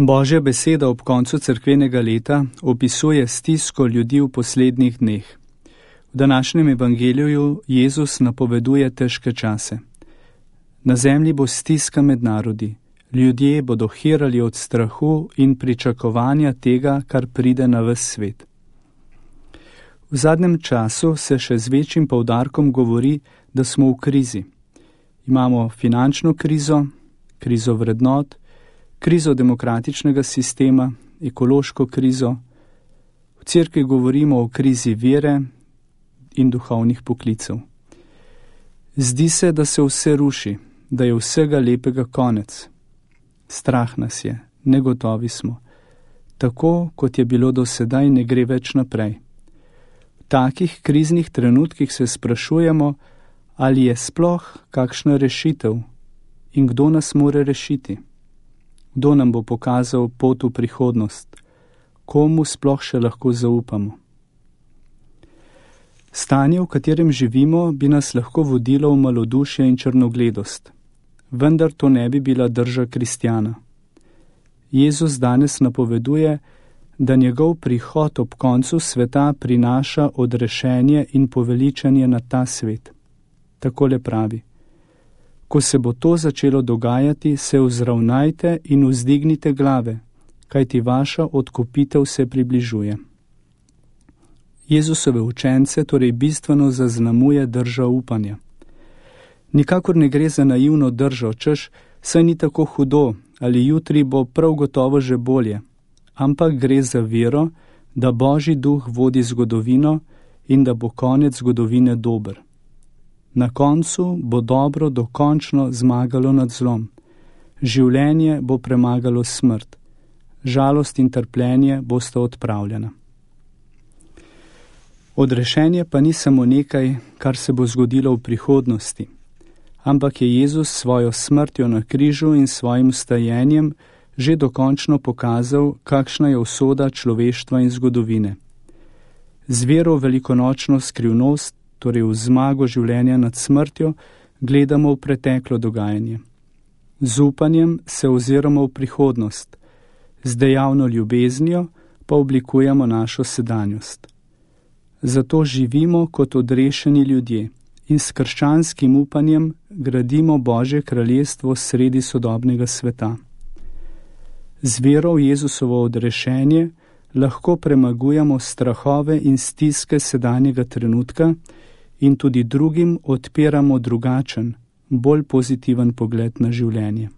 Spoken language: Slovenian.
Božja beseda ob koncu cerkvenega leta opisuje stisko ljudi v poslednjih dneh. V današnjem evangeliju Jezus napoveduje težke čase. Na zemlji bo stiska med narodi, ljudje bodo hirali od strahu in pričakovanja tega, kar pride na ves svet. V zadnjem času se še z večjim poudarkom govori, da smo v krizi. Imamo finančno krizo, krizo vrednot, krizo demokratičnega sistema, ekološko krizo. V cerkvi govorimo o krizi vere in duhovnih poklicev. Zdi se, da se vse ruši, da je vsega lepega konec. Strah nas je, negotovi smo. Tako, kot je bilo do sedaj, ne gre več naprej. V takih kriznih trenutkih se sprašujemo, ali je sploh kakšna rešitev in kdo nas more rešiti. Kdo nam bo pokazal pot v prihodnost? Komu sploh še lahko zaupamo? Stanje, v katerem živimo, bi nas lahko vodilo v malodušje in črnogledost. Vendar to ne bi bila drža kristjana. Jezus danes napoveduje, da njegov prihod ob koncu sveta prinaša odrešenje in poveličanje na ta svet. Takole pravi: ko se bo to začelo dogajati, se vzravnajte in vzdignite glave, kajti vaša odkupitev se približuje. Jezusove učence torej bistveno zaznamuje drža upanja. Nikakor ne gre za naivno držo, češ, saj ni tako hudo, ali jutri bo prav gotovo že bolje, ampak gre za vero, da Božji duh vodi zgodovino in da bo konec zgodovine dober. Na koncu bo dobro dokončno zmagalo nad zlom. Življenje bo premagalo smrt. Žalost in trpljenje bosta odpravljena. Odrešenje pa ni samo nekaj, kar se bo zgodilo v prihodnosti, ampak je Jezus svojo smrtjo na križu in svojim vstajenjem že dokončno pokazal, kakšna je usoda človeštva in zgodovine. Z vero v velikonočno skrivnost, torej v zmago življenja nad smrtjo, gledamo v preteklo dogajanje. Z upanjem se oziramo v prihodnost, z dejavno ljubeznijo pa oblikujemo našo sedanjost. Zato živimo kot odrešeni ljudje in s krščanskim upanjem gradimo Božje kraljestvo sredi sodobnega sveta. Z vero v Jezusovo odrešenje lahko premagujemo strahove in stiske sedanjega trenutka in tudi drugim odpiramo drugačen, bolj pozitiven pogled na življenje.